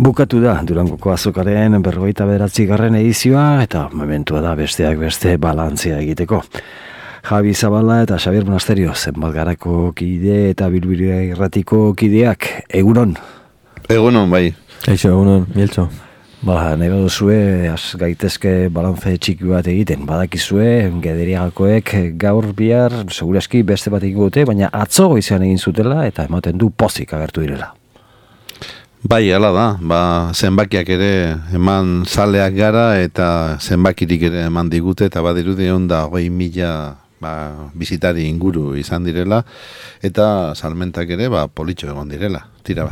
Bukatu da Durangoko azokaren 49. edizioa eta momentua da besteak beste balantzea egiteko. Javi Zabala eta Xabier Monasterio, Zenbalgarako kide eta Bilbira Irratiko kideak, egunon? Egunon, bai. Eixo, egunon, Mieltxo. Nahi baduzue, gaitezke balantze txiki bat egiten. Badakizue, Gederiagakoek gaur bihar, seguraski beste bat egin dute, baina atzo goizean egin zutela eta ematen du pozik agertu direla. Bai, hala da, zenbakiak ere eman zaleak gara eta zenbakirik ere eman digute eta badirudi 120.000 bizitari inguru izan direla eta salmentak ere politxo egon direla. Tira,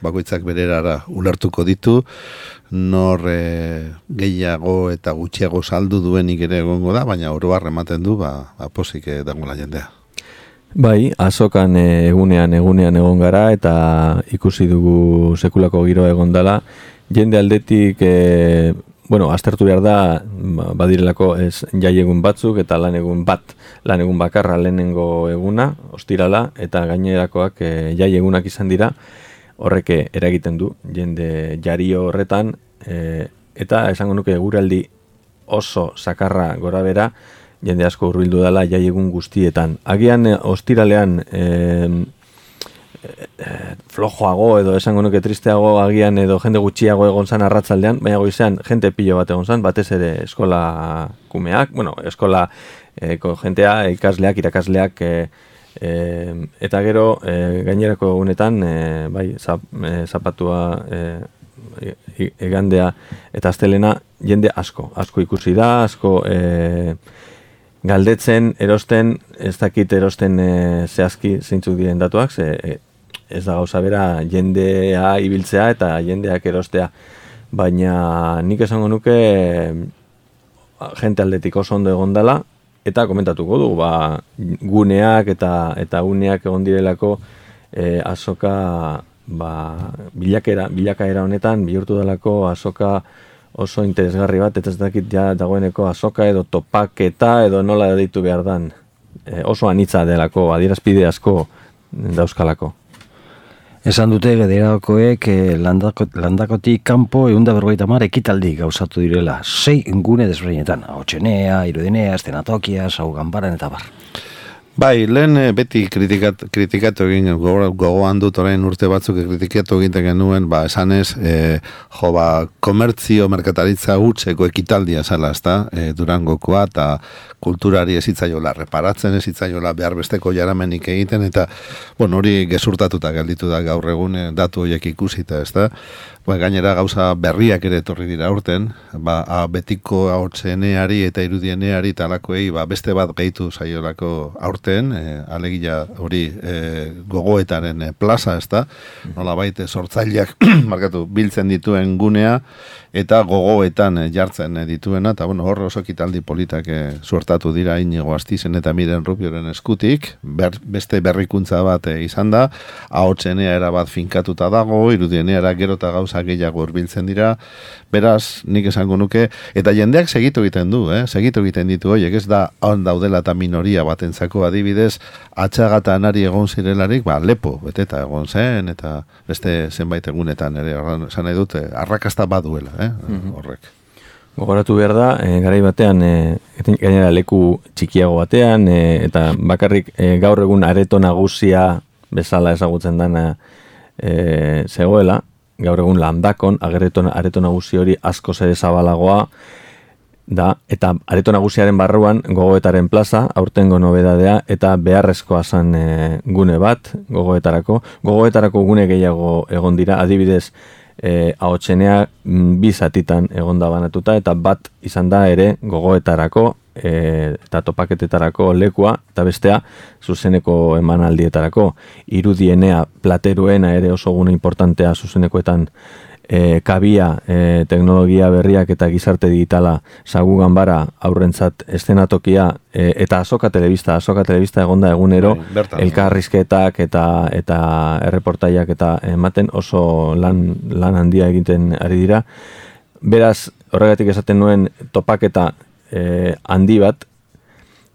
bakoitzak bererara ulertuko ditu, nor gehiago eta gutxiago saldu duenik ere egongo da, baina oro har ematen du pozik dagoela jendea. Bai, azokan egunean egon gara eta ikusi dugu sekulako giroa egon dela. Jende aldetik, aztertu behar da, badirelako jaiegun batzuk eta lanegun bakarra lehenengo eguna, ostirala, eta gainerakoak jaiegunak izan dira, horrek eragiten du, jende jario horretan, eta esango nuke guraldi oso sakarra gora bera, jende asko hurbildu dela jaiegun guztietan. Agian ostiralean flojoago edo esango nuke tristeago agian edo jende gutxiago egon zan arratzaldean, baina goizean jente pilo bat egon zan, batez ere eskola kumeak, eskola jentea, ikasleak, irakasleak, eta gero gainerako egunetan, zapatua, egandea eta astelena jende asko ikusi da, asko galdetzen, erosten, ez dakit erosten zehazki zeintzuk diren datuak, ez da gauza bera jendea ibiltzea eta jendeak erostea, baina nik esango nuke jente aldetik oso ondo egon dela, eta komentatuko du, guneak eta uneak egon direlako azoka bilakaera honetan bihurtu delako azoka oso interesgarri bat, eta ez dakit dagoeneko azoka edo topaketa edo nola deitu behar dan. Oso anitza delako, adierazpide asko dauzkalako. Esan dute Gederiagakoek landakotik kanpo 150 ekitaldi gauzatu direla. 6 gune desberdinetan, Ahotsenea, Irudinea, Eszenatokia, Sau Ganbaran eta bar. Bai, lehen beti kritikatu egin, gogoan dut orain urte batzuk kritikatu egiten genuen, esanez, komertzio, merkataritza hutseko ekitaldia zela, ezta, Durangokoa, eta kulturari ezitzaiola reparatzen, ezitzaiola behar besteko jaramenik egiten, eta, hori gezurtatuta gelditu da gaur egun datu horiek ikusita, ezta. Gainera gauza berriak ere etorri dira urten, betiko Ahotseneari eta Irudieneari talakoei beste bat gehitu zaiolako aurten, alegia hori gogoetaren plaza, ezta, nolabait sortzaileak biltzen dituen gunea eta gogoetan jartzen dituena, eta hor oso ekitaldi politak suertatu dira Inigo Astizen eta Miren Rubioren eskutik, beste berrikuntza bat izan da, Ahotsenea erabat finkatuta dago, Irudieneara gero eta gauza gehiago hurbiltzen dira, beraz, nik esango nuke, eta jendeak segitu egiten du, segitu egiten ditu horiek, ez da on daudela eta minoria batentzako adibidez, atxagata anari egon zirelarik, lepo, beteta egon zen, eta beste zenbait egunetan ere, esan nahi dute, arrakasta baduela, horrek. Gogoratu behar da, garai batean, gainera leku txikiago batean, eta bakarrik gaur egun areto nagusia bezala ezagutzen dana zegoela, gaur egun landakon, areto nagusi hori askoz ere zabalagoa da, eta areto nagusiaren barruan gogoetaren plaza, aurtengo nobedadea, eta beharrezkoa zan gune bat gogoetarako gune gehiago egon dira, adibidez, Ahotsenea 2 zatitan egon da banatuta, eta bat izan da ere gogoetarako eta topaketetarako lekua, eta bestea zuzeneko emanaldietarako. Irudienea, Plateruena ere oso gune importantea zuzenekoetan kabia, teknologia berriak eta gizarte digitala, Sau Ganbara, aurrentzat eszenatokia, eta azoka telebista egon da egunero, elkarrizketak eta erreportaiak eta ematen oso lan handia egiten ari dira. Beraz, horregatik esaten nuen topaketa handi bat,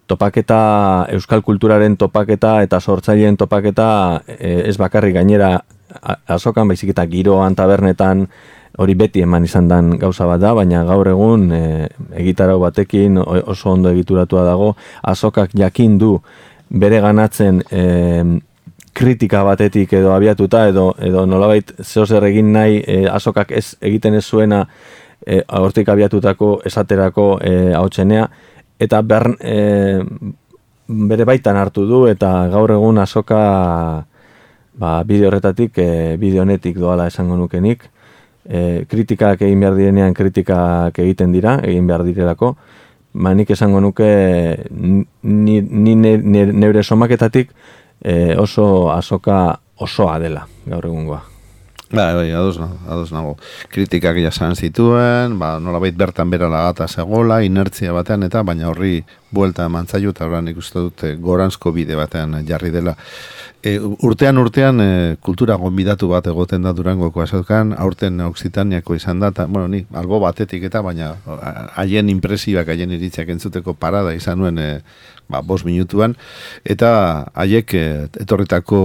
topaketa, euskal kulturaren topaketa eta sortzaileen topaketa ez bakarrik gainera azokan baizik eta giroan, tabernetan, hori beti eman izan dan gauza bat da, baina gaur egun egitarau batekin oso ondo egituratua dago, azokak jakin du bere ganatzen kritika batetik edo abiatuta, edo nolabait zehozer egin nahi azokak egiten ez zuena hortik abiatutako esaterako hautsenea, eta bere baitan hartu du, eta gaur egun azoka bideo horretatik, bideo honetik doala esango nukenik, kritikak egin behar direnean kritikak egiten dira, egin behar direlako, nik esango nuke neure somaketatik oso azoka osoa dela gaur egungoa. Bai, ados nago. Kritikak jasan zituen, nolabait bertan berala gata zegoela, inertzia batean eta, baina horri buelta eman zaio, eta horrean ikusten dute goranzko bide batean jarri dela. Urtean kultura gonbidatu bat egoten da Durangoko azokan, aurten Oksitaniako izan da, eta, ni albo batetik eta, baina haien impresioak, haien iritziak entzuteko parada izan nuen 5 minutuan, eta haiek etorritako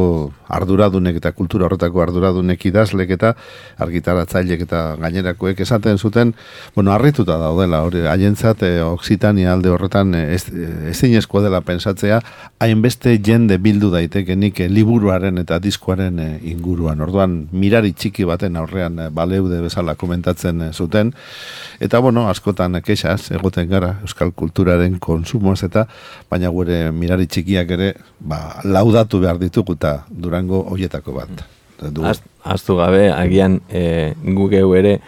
arduradunek eta kultura horretako arduradunek idazlek eta argitaratzailek eta gainerakoek esaten zuten, harrituta daudela, hori haientzat Oksitania alde horretan ezinezkoa dela pensatzea, hainbeste jende bildu daitekenik liburuaren eta diskoaren inguruan. Orduan, mirari txiki baten aurrean baleude bezala komentatzen zuten, eta askotan kexaz egoten gara euskal kulturaren konsumoz eta baina gure mirari txikiak ere laudatu behar ditugu eta Durango hoietako bat. Aztu gabe, agian gugeu ere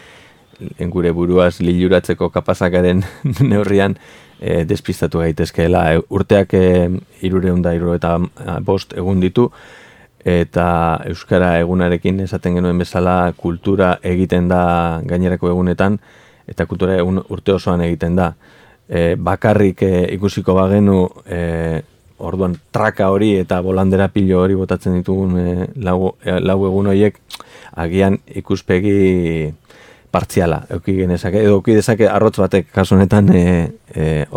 gure buruaz liluratzeko kapazakaren neurrian despistatu gaitezkeela. Urteak 375 egun ditu, eta Euskara egunarekin esaten genuen bezala kultura egiten da gainerako egunetan, eta kultura egun urte osoan egiten da. Bakarrik ikusiko bagenu orduan traka hori eta bolandera pilo hori botatzen ditugun lau egun horiek agian ikuspegi partziala eduki genezake, edo eduki dezake arrotz batek kasu honetan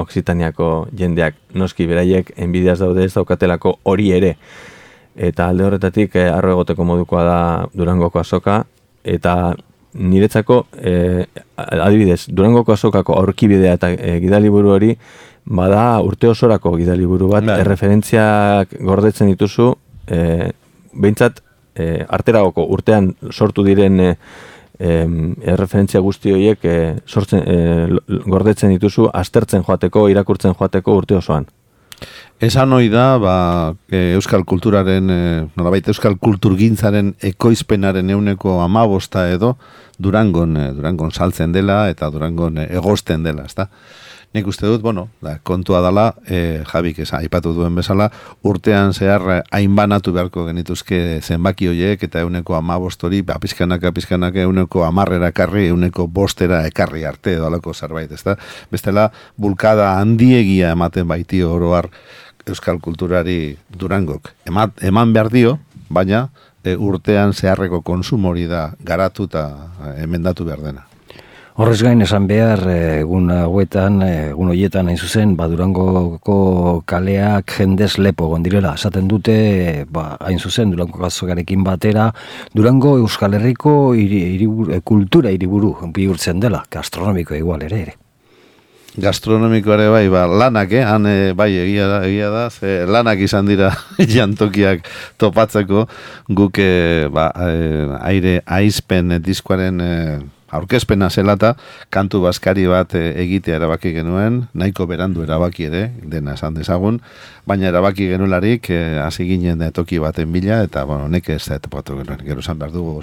Oksitaniako jendeak, noski beraiek enbidiaz daude ez daukatelako hori ere, eta alde horretatik arro egoteko modukoa da Durangoko azoka, eta niretzako, adibidez, Durangoko azokako aurkibidea eta gidaliburu hori, bada urte osorako gidaliburu bat, erreferentziak gordetzen dituzu, behintzat, arteragoko urtean sortu diren erreferentzia guzti horiek gordetzen dituzu, aztertzen joateko, irakurtzen joateko urte osoan. Esan hoi da, euskal kulturaren, nolabait euskal kulturgintzaren ekoizpenaren 15% edo Durangon saltzen dela eta Durangon egosten dela, ezta? Nik uste dut, kontua dela, Jabik aipatu duen bezala, urtean zehar hainbanatu beharko genituzke zenbaki horiek eta 15% hori, pizkanaka 10 ekarri, 5% ekarri arte edo alako zerbait, ezta? Bestela, bulkada handiegia ematen baiti oroar euskal kulturari Durangok. Eman behar dio, baina urtean zeharreko konsumo hori da garatu eta emendatu behar dena. Horrez gain esan behar, egun horietan hain zuzen, Durangoko kaleak jendez lepo gondirela. Esaten dute, hain zuzen, Durango azokarekin batera, Durango Euskal Herriko kultura hiriburu bihurtzen dela, gastronomiko igual ere. Gastronomiko ere lanak, egia da, lanak izan dira jantokiak topatzeko, guk aire aizpen diskoaren aurkezpena zelata, kantu baskari bat egitea erabaki genuen, nahiko berandu erabaki ere, dena esan dezagun, baina erabaki genuelarik hasi ginen toki baten bila, eta nek ez da etopatu genuen, gero esan behar dugu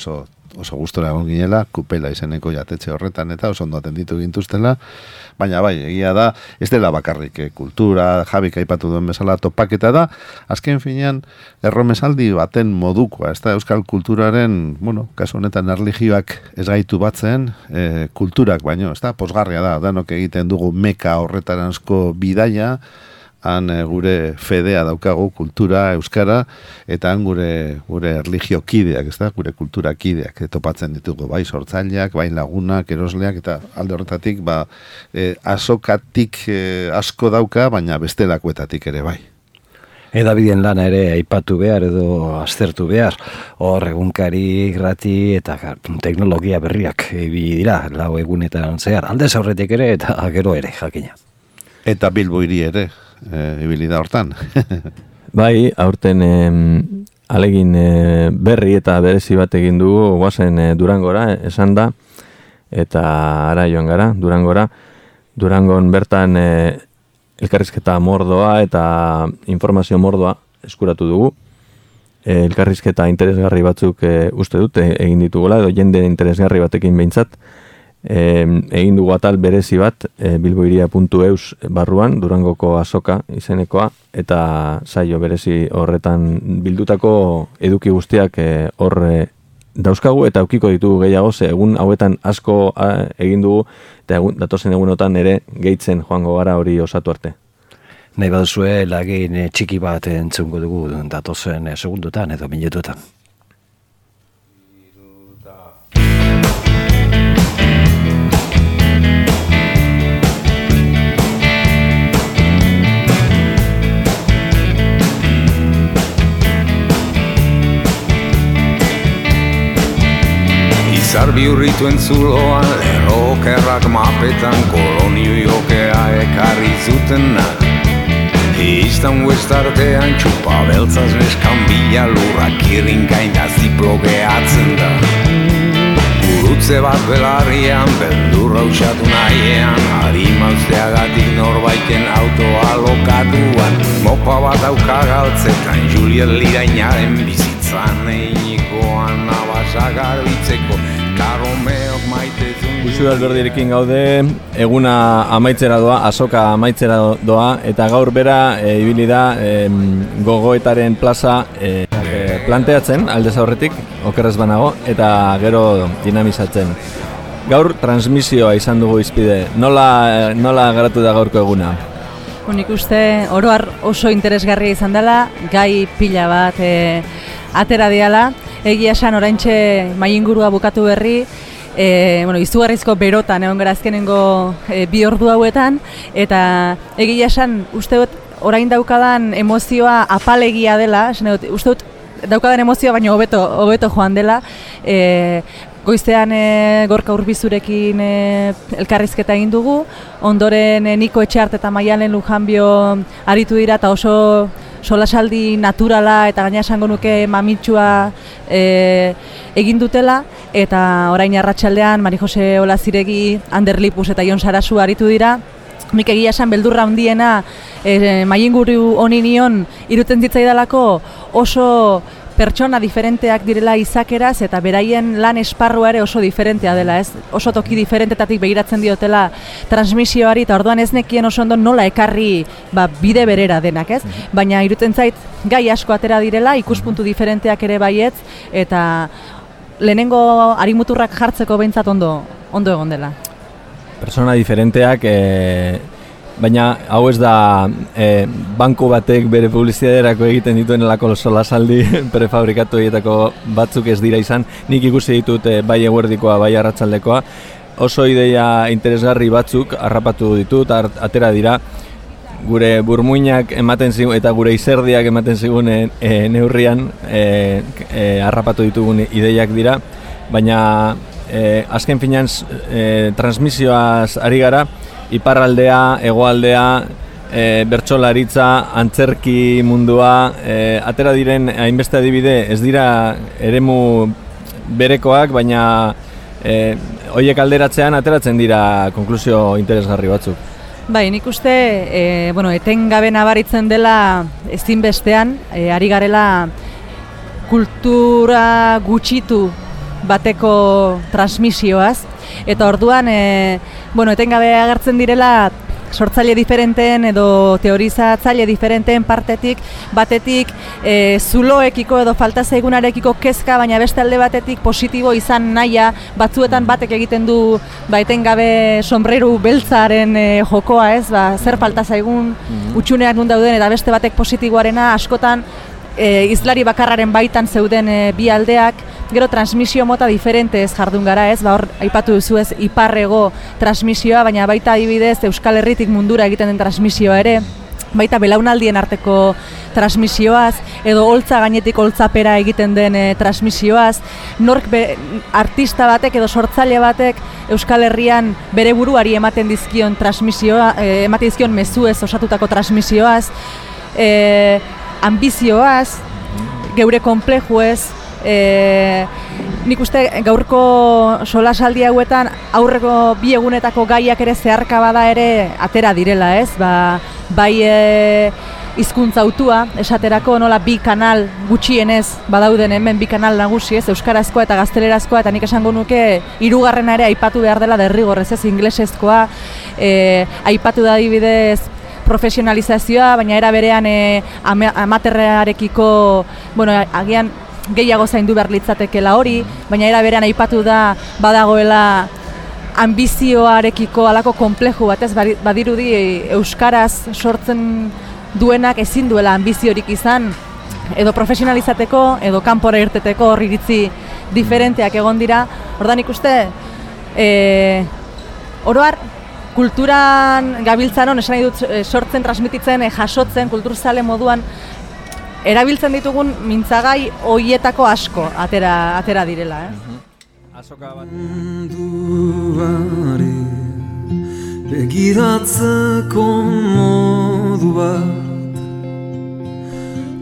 oso gustora egon ginela, Kupela izeneko jatetxe horretan, eta oso ondo atenditu gintuztela, baina egia da, ez dela bakarrik kultura, Jabik aipatu duen bezala topaketa da, azken finean erromesaldi baten modukoa, ez da euskal kulturaren, kasu honetan erlijioak ez gaitu batzen, kulturak baino, ez da, posgarria da, danok egiten dugu meka horretaranzko bidaia, han gure fedea daukagu kultura, euskara, eta han gure erlijio kideak, ez da, gure kultura kideak, topatzen ditugu, bai sortzaileak, bai lagunak, erosleak, eta alde horretatik, azokatik asko dauka, baina bestelakoetatik ere bai. Edabideen lana ere aipatu behar edo aztertu behar. Hor egunkari, grati eta teknologia berriak ibili dira, lau egunetan zehar. Aldez aurretik ere eta gero ere, jakina. Eta Bilbo hiri ere, ibili da hortan. Bai, aurten alegin berri eta berezi bat egin dugu, guazen Durangora, esan da, eta ara joan gara, Durangora. Durangon bertan elkarrizketa mordoa eta informazio mordoa eskuratu dugu. Elkarrizketa interesgarri batzuk uste dut egin ditugula, edo jende interesgarri batekin behintzat. Egin dugu atal berezi bat bilboiria.eus barruan, Durangoko azoka izenekoa, eta saio berezi horretan bildutako eduki guztiak hor dauzkagu eta aukiko ditugu gehiago, ze egun hauetan asko egin dugu, eta datozen egunotan ere gehitzen joango gara hori osatu arte. Nahi baduzue lagin txiki bat entzungo dugu datozen segundotan edo minututan. Zarbi urrituen zuloan, lerrokerrak mapetan, kolonio jokea ekarri zutenak. Eiztan huestartean, txupa beltzaz neskan bila lurrak irrinkain da ziplogeatzen da. Gurutze bat belarrian, beldurra usatu nahiean, harima usteagatik norbaiten autoa lokatuan. Mopa bat auka galtzetan, Juliet Lirainaren bizitzan einikoan abasa garbitzeko. Uxu Alberdirekin gaude, eguna amaitzera doa, azoka amaitzera doa, eta gaur bera ibili da gogoetaren plaza planteatzen, aldez aurretik, okerrez banago, eta gero dinamizatzen. Gaur transmisioa izan dugu izpide, nola garatu da gaurko eguna? Nik uste oroar oso interesgarria izan dela, gai pila bat atera diala. Egia esan oraintxe maingurua bukatu berri, izugarrizko berotan egon gara azkenengo 2 ordu hauetan, eta egia esan uste dut orain daukadan emozioa apalegia dela, uste dut daukadan emozioa baino hobeto joan dela. Goizean Gorka Urbizurekin elkarrizketa egin dugu, ondoren Niko Etxeart eta Maialen Lujanbio aritu dira eta oso solasaldi naturala eta gaina esango nuke mamitsua egin dutela, eta orain arratsaldean Mari Jose Olaziregi, Ander Lipus eta Jon Sarasu aritu dira. Nik egia esan beldurra handiena mainguru honi nion iruten zitzaidalako oso pertsona diferenteak direla izakeraz eta beraien lan esparrua ere oso diferentea dela, ez? Oso toki diferentetatik begiratzen diotela transmisioari, eta orduan ez nekien oso ondo nola ekarri bide berera denak, ez? Baina irutzen zait gai asko atera direla, ikuspuntu diferenteak ere baietz, eta lehenengo harimuturrak jartzeko behintzat ondo egon dela. Persona diferenteak, baina hau ez da banku batek bere publizidaderako egiten dituenelako solasaldi prefabrikatu egiteko batzuk ez dira izan. Nik ikusi ditut bai eguerdikoa, bai arratsaldekoa. Oso ideia interesgarri batzuk harrapatu ditut, atera dira. Gure burmuinak ematen zigun eta gure izerdiak ematen zigun neurrian harrapatu ditugun ideiak dira. Baina azken finean transmisioaz ari gara, iparraldea, hegoaldea, bertsolaritza, antzerki mundua, atera diren hainbeste adibide, ez dira eremu berekoak, baina horiek alderatzean ateratzen dira konklusio interesgarri batzuk. Bai, nik uste, etengabe nabaritzen dela ezinbestean, ari garela kultura gutxitu bateko transmisioaz, eta orduan, etengabe agertzen direla sortzaile diferenteen edo teorizatzaile diferenteen partetik, batetik zuloekiko edo falta zaigunarekiko kezka, baina beste alde batetik positibo izan nahia, batzuetan batek egiten du etengabe sombreru beltzaren jokoa, ez, zer falta zaigun utxuneak nun dauden, eta beste batek positiboarena askotan izlari bakarraren baitan zeuden bi aldeak, gero transmisio mota diferente ez jardun gara, ez, hor aipatu duzu ez iparrego transmisioa, baina baita adibidez Euskal Herritik mundura egiten den transmisioa ere, baita belaunaldien arteko transmisioaz, edo holtza gainetik holtzapera egiten den transmisioaz, artista batek edo sortzaile batek Euskal Herrian bere buruari ematen dizkion transmisioa, ematen dizkion mezuez osatutako transmisioaz, ambizioaz, geure konplejuez, nik uste gaurko solasaldi hauetan aurreko bi egunetako gaiak ere zeharka bada ere atera direla, ez? Bai hizkuntza hautua, esaterako nola bi kanal gutxienez badauden hemen bi kanal nagusi, ez? Euskarazkoa eta gaztelerazkoa, eta nik esango nuke hirugarrena ere aipatu behar dela derrigorrez, ez? Inglesezkoa, aipatu da adibidez profesionalizazioa, baina era berean amaterrarekiko, agian gehiago zaindu behar litzatekela hori, baina era berean aipatu da badagoela ambizioarekiko halako konpleju bat, ez? Badirudi euskaraz sortzen duenak ezin duela ambiziorik izan, edo profesionalizateko, edo kanpora irteteko hor iritzi diferenteak egon dira. Ordan ikuste, oroar, kulturan gabiltzanon, esan nahi dut sortzen, transmititzen, jasotzen, kulturzale moduan, erabiltzen ditugun mintzagai hoietako asko atera direla. Azoka bat. Begiratzeko modu bat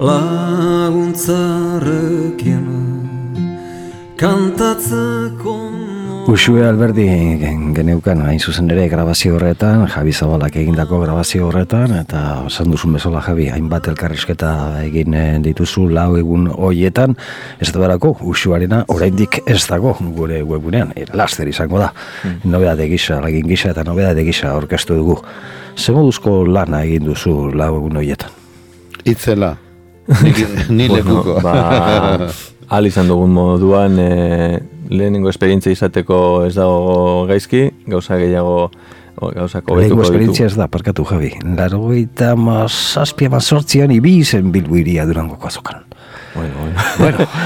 laguntzarekin kantatzeko Uxue Alberdi geneukan hain zuzen ere grabazio horretan, Javi Zabalak egindako grabazio horretan, eta esan duzun bezala Javi, hainbat elkarrizketa egin dituzu 4 egun hoietan, ez da berako Uxuarena oraindik ez dago gure webunean, laster izango da, nobedade gisa, lagin gisa eta nobedade gisa aurkeztu dugu. Ze moduzko lana egin duzu 4 egun hoietan? Itzela, ni lekuko. Ahal izan dugun moduan, lehenengo esperientzia izateko ez dago gaizki, gauza gehiago gauzako betuko ditu. Lehenengo esperientzia ez da, parkatu Javi. 97-an ibi izen Bilbo iria Durangoko azokan. Bueno,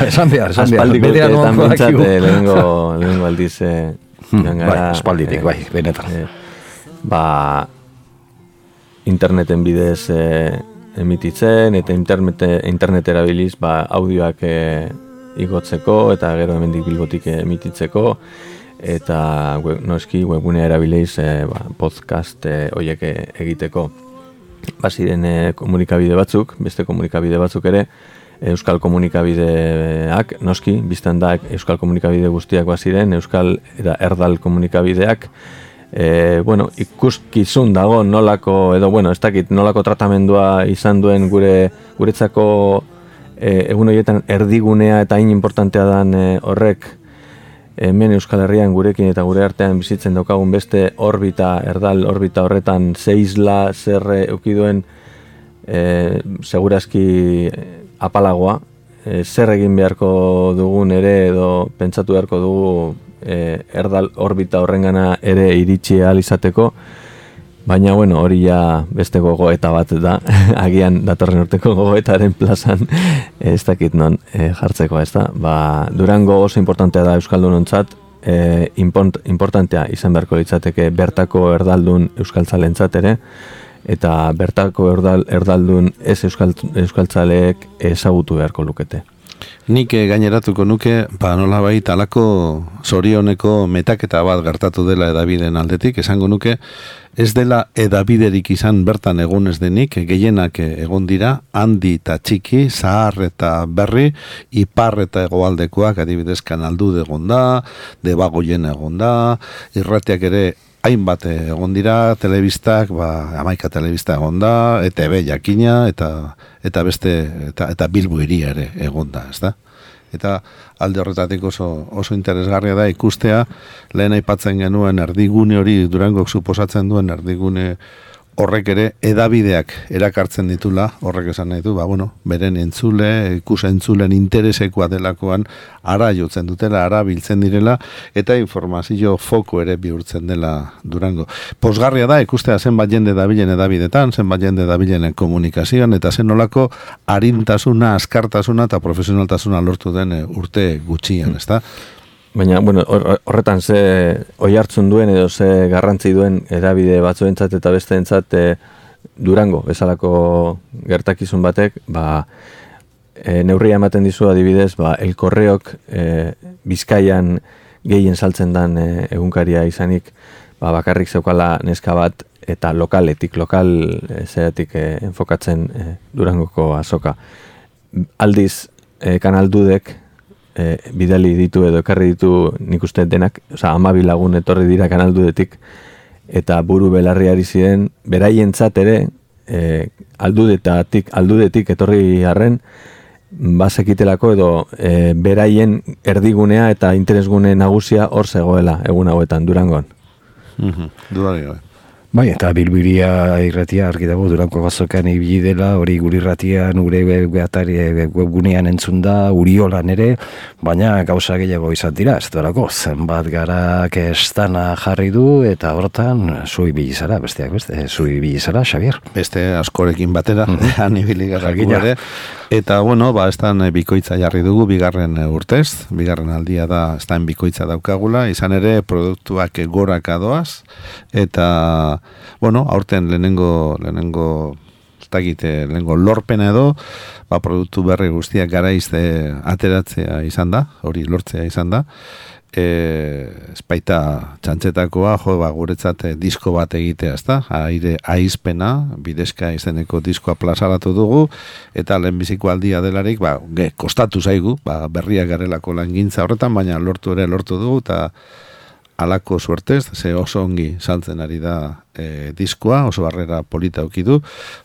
esan behar. Aspaldiko urteetan bintzat lehenengo aldiz espalditik, benetan. Interneten bidez emititzen, eta internet erabiliz audioak igotzeko, eta gero hemendik Bilbotik emititzeko, eta noski webgunea erabiliz podcast horiek egiteko. Baziren komunikabide batzuk, beste komunikabide batzuk ere, euskal komunikabideak, noski, biztan da euskal komunikabide guztiak baziren, euskal eta erdal komunikabideak, ikuskizun dago nolako, edo ez dakit nolako tratamendua izan duen guretzako egun horietan erdigunea eta hain importantea dan horrek hemen Euskal Herrian gurekin eta gure artean bizitzen daukagun beste erdal orbita horretan zeizla zerre eukiduen segurazki apalagoa, zer egin beharko dugun ere edo pentsatu beharko dugu erdal orbita horrengana ere iritsi ahal izateko, baina hori ja beste gogoeta bat da, agian datorren urteko gogoetaren plazan ez dakit non jartzeko, ez da. Durango oso importantea da euskaldunontzat, importantea izan beharko litzateke bertako erdaldun euskaltzalentzat ere, eta bertako erdaldun ez euskaltzaleek ezagutu beharko lukete. Nik gaineratuko nuke, nolabait alako zorioneko metaketa bat gertatu dela edabideen aldetik, esango nuke, ez dela edabiderik izan bertan egun ez denik, gehienak egon dira, handi eta txiki, zahar eta berri, ipar eta hegoaldekoak, adibidez Kanaldude egon da, Debagoien egon da, irratiak ere hainbat egon dira, telebistak, 11 telebista egon da, ETB jakina, eta beste, eta Bilbo hiria ere egon da, ez da? Eta alde horretatik oso interesgarria da ikustea, lehen aipatzen genuen erdigune hori, Durangok suposatzen duen erdigune horrek ere edabideak erakartzen ditula, horrek esan nahi du, beren ikus-entzulen interesekoa delakoan ara jotzen dutela, ara biltzen direla, eta informazio foko ere bihurtzen dela Durango. Pozgarria da, ikustea zenbat jende dabilen edabidetan, zenbat jende dabilen komunikazioan, eta zen nolako arintasuna, askartasuna eta profesionaltasuna lortu den urte gutxian, ezta? Baina, horretan ze oi hartzun duen edo ze garrantzi duen edabide batzuentzat eta besteentzat Durango, bezalako gertakizun batek, neurria ematen dizu adibidez, El Correok Bizkaian gehien saltzen dan egunkaria izanik, bakarrik zeukala neska bat, eta lokal zeratik enfokatzen Durangoko azoka. Aldiz, Kanal Dudek bidali ditu edo ekarri ditu nik uste denak, 12 lagun etorri dira Kanal Dudetik, eta buru belarriari ziren, beraientzat ere, aldudetik etorri harren, bazekitelako edo beraien erdigunea eta interesgune nagusia hor zegoela egun hauetan, Durangon. Durango. Bai, eta Bilbiria irratia argi dago Durango azokan ibili dela, hori gure irratian, gure webgunean entzun da, Uriolan ere, baina gauza gehiago izan dira, ez duelako, zenbat garak estana jarri du, eta hortan, zu ibili zara, besteak beste, zu ibili zara, Xabier. Beste askorekin batera, han ibili garraku ere, eta, bueno, estan bikoitza jarri dugu, bigarren urtez, bigarren aldia da, estan bikoitza daukagula, izan ere, produktuak goraka doaz, eta, bueno, aurten lehenengo lorpena edo, produktu berri guztiak garaizte ateratzea izan da, hori lortzea izan da, espaita txantxetakoa, guretzat disko bat egitea, ezta? Aire aizpena, bidezka izeneko diskoa plazaratu dugu, eta lehenbiziko aldia delarik, kostatu zaigu, berriak garelako langintza horretan, baina lortu dugu, eta alako suertez, ze oso ongi saltzen ari da diskoa, oso barrera polita aukidu,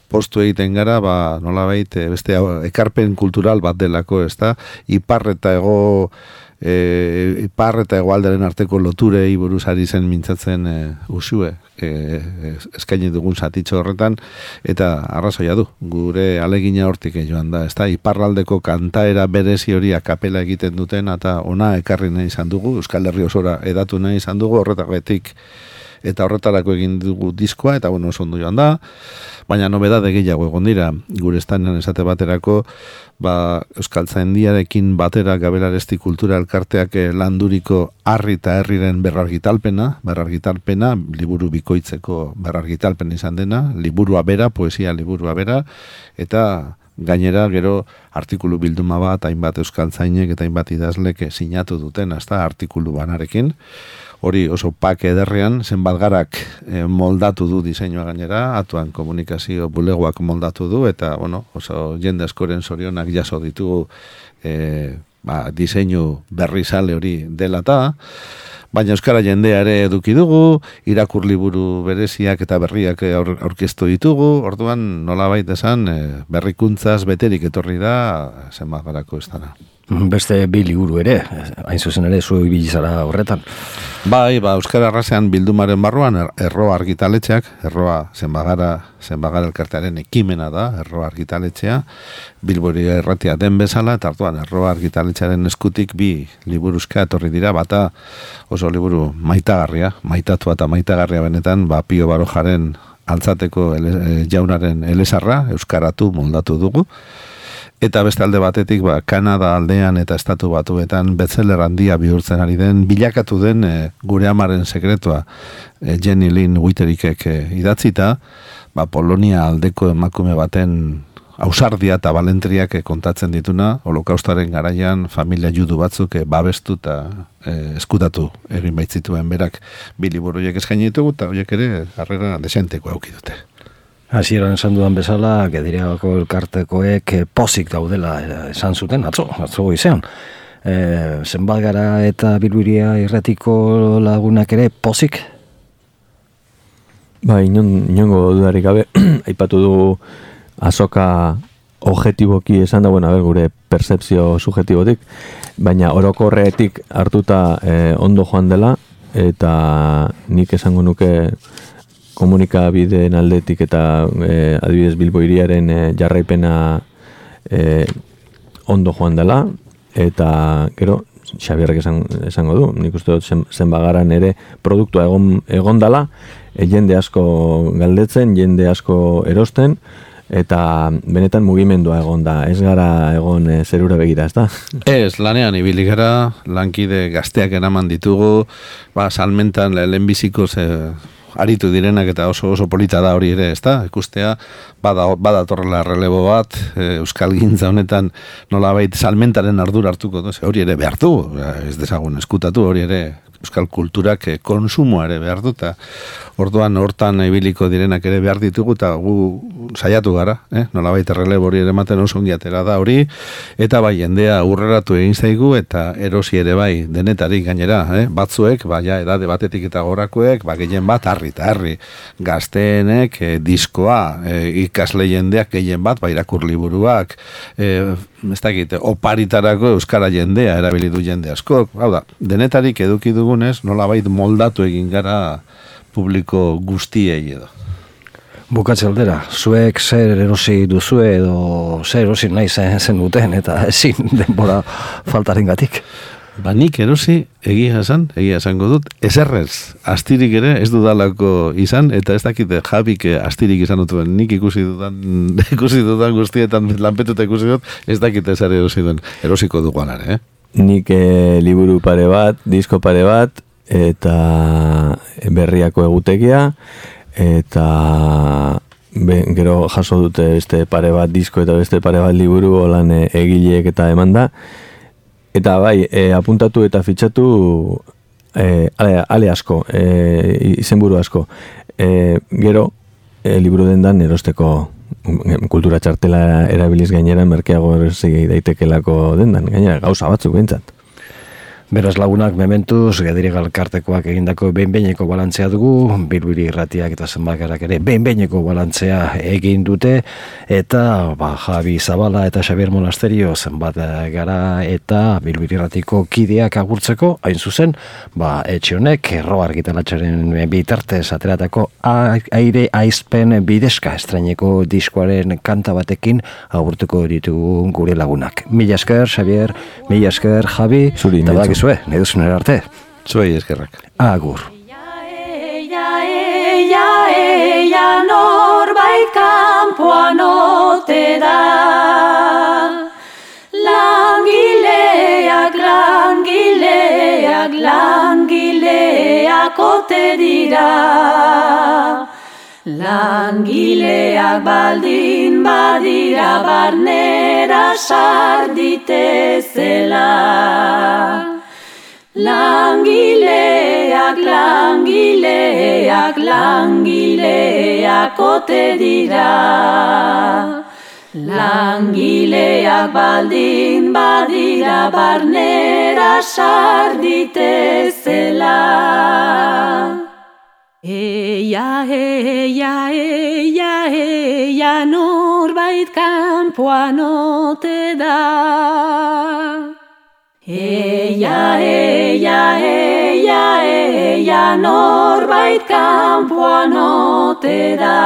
postu egiten gara, nolabait, beste ekarpen kultural bat delako, ezta? Ipar eta hegoalderen arteko loturei buruz ari zen mintzatzen usue, eskaini dugun zatitxo horretan, eta arrazoia du, gure alegina hortik joan da, ezta? Iparraldeko kantaera berezi hori akapela egiten duten, eta ona ekarri nahi izan dugu, Euskal Herri osora edatu nahi izan dugu, horretatik eta horretarako egin dugu diskoa, eta bueno, oso ondo joan da, baina nobedade gehiago egon dira, gure estanean esate baterako, Euskaltzaindiarekin batera Gabelaresti Kultura Elkarteak landuriko Harri eta Herriren berrargitalpena, liburu bikoitzeko berrargitalpena izan dena, liburua bera, poesia liburua bera, eta gainera gero artikulu bilduma bat, hainbat euskaltzainek eta hainbat idazlek sinatu duten, hasta artikulu banarekin. Hori oso pak ederrean, zenbat garak moldatu du diseinua gainera, atuan komunikazio bulegoak moldatu du, eta bueno, oso jende askoren zorionak jaso ditugu diseinu berri sale hori dela eta, baina euskara jendea ere eduki dugu, irakur liburu bereziak eta berriak aurkeztu ditugu, orduan nolabait esan berrikuntzaz beterik etorri da zenbat garako ez dara. Beste bi liburu ere, hain zuzen ere zu ibili zara horretan. Bai, euskara arrasean bildumaren barruan Erroa argitaletxeak, Erroa zenbagara elkartearen ekimena da, Erroa argitaletxea, Bilboria irratia den bezala, eta hartuan Erroa argitaletxearen eskutik bi liburuzka etorri dira, bata oso liburu maitatua eta maitagarria benetan, Pio Barojaren altzateko jaunaren elezarra, euskaratu moldatu dugu, eta beste alde batetik, Kanada aldean eta Estatu Batuetan bestseller handia bihurtzen ari den, bilakatu den gure amaren sekretua Jenny Lynn Witterikek idatzita, Polonia aldeko emakume baten ausardia eta balentriak kontatzen dituna, holokaustaren garaian familia judu batzuk babestu eta eskutatu egin baitzituen berak bi liburuiek eskaini ditugu, eta horiek ere harrera desenteko auki dute. Hasieran esan dudan bezala, Gediriagako elkartekoek pozik daudela esan zuten, atzo goizean. Zenbat gara eta Bilbiria irratiko lagunak ere pozik? Inongo dudarik gabe, aipatu dugu azoka objetiboki esan da, gure percepzio subjetibotik, baina orokorretik hartuta ondo joan dela, eta nik esango nuke komunikabideen aldetik eta adibidez Bilbo hiriaren jarraipena ondo joan dela, eta gero Xabierrek esango du, nik uste dut zenbagaran ere produktua egon dela, jende asko galdetzen, jende asko erosten, eta benetan mugimendua egon da, ez gara egon zerura begira, ez da? Ez, lanean ibili gara, lankide gazteak eraman ditugu, salmentan lehenbiziko aritu direnak eta oso polita da hori ere, ezta? Ikustea, badatorrela relebo bat, euskal gintza honetan nolabait salmentaren ardura hartuko, hori ere behar du, ez dezagun eskutatu, hori ere euskal kulturak konsumoa ere behar du, eta orduan hortan ibiliko direnak ere behar ditugu, eta gu saiatu gara, nolabait relebo hori ere ematen oso ongi atera da hori, eta bai jendea urreratu egin zaigu, eta erosi ere bai denetarik gainera, batzuek, ja edade batetik eta gorakoek, gehien bat harri gazteenek diskoa, ikasle jendeak gehien bat, irakur liburuak, ez dakit, oparitarako euskara jendea erabili du jende askok, hau da, denetarik eduki dugunez, nolabait moldatu egin gara publiko guztiei edo. Bukatze aldera, zuek zer erosi duzue edo zer erosi nahi zen duten eta ezin denbora faltarengatik. Nik erosi egia esango dut, eserrez, astirik ere ez dudalako izan, eta ez dakite Jabik astirik izan dutuen, nik ikusi dudan guztietan lanpetuta ikusi dut, ez dakite ezer erosi duen, erosiko duguan ere, Nik liburu pare bat, disko pare bat, eta berriako egutegia, eta gero jaso dute beste pare bat disko eta beste pare bat liburu holan egileek eta emanda. Eta bai, apuntatu eta fitxatu ale asko, izenburu asko. Gero, liburu dendan erosteko kultura txartela erabiliz gainera merkeago erosi daitekelako dendan, gainera gauza batzuk behintzat. Beraz lagunak mementuz, Gedire Elkartekoak egindako behin-behineko balantzea dugu, Bilbiri Irratiak eta Zenbakarak ere behin-behineko balantzea egin dute, eta Javi Zabala eta Xabier Monasterio zenbat gara eta Bilbiri Irratiko kideak agurtzeko, hain zuzen, etxe honek, erro argitalatxaren bitartez ateratako aire aizpen bidezka estraineko diskoaren kanta batekin agurtuko ditugu gure lagunak. Mila esker, Xabier, mila esker, Javi, zuri, nahi duzunera arte. Zuei eskerrak. Agur. Norbait kanpoan ote da. Langileak ote dira. Langileak baldin badira barnera sarditezela. Langileak ote dira. Langileak baldin badira barnera sarditezela. Eia, norbait kanpoan ote da. Eia, norbait kanpoan ote da.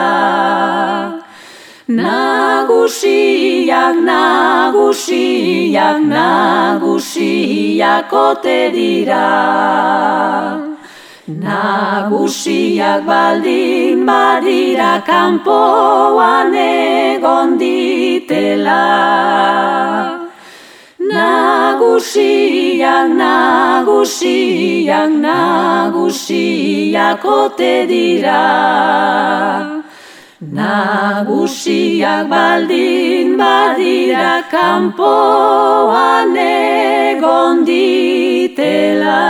Nagusiak ote dira. Nagusiak baldin badira kanpoan egon ditela. Nagusiak ote dira. Nagusiak baldin badira kanpoan egon ditela.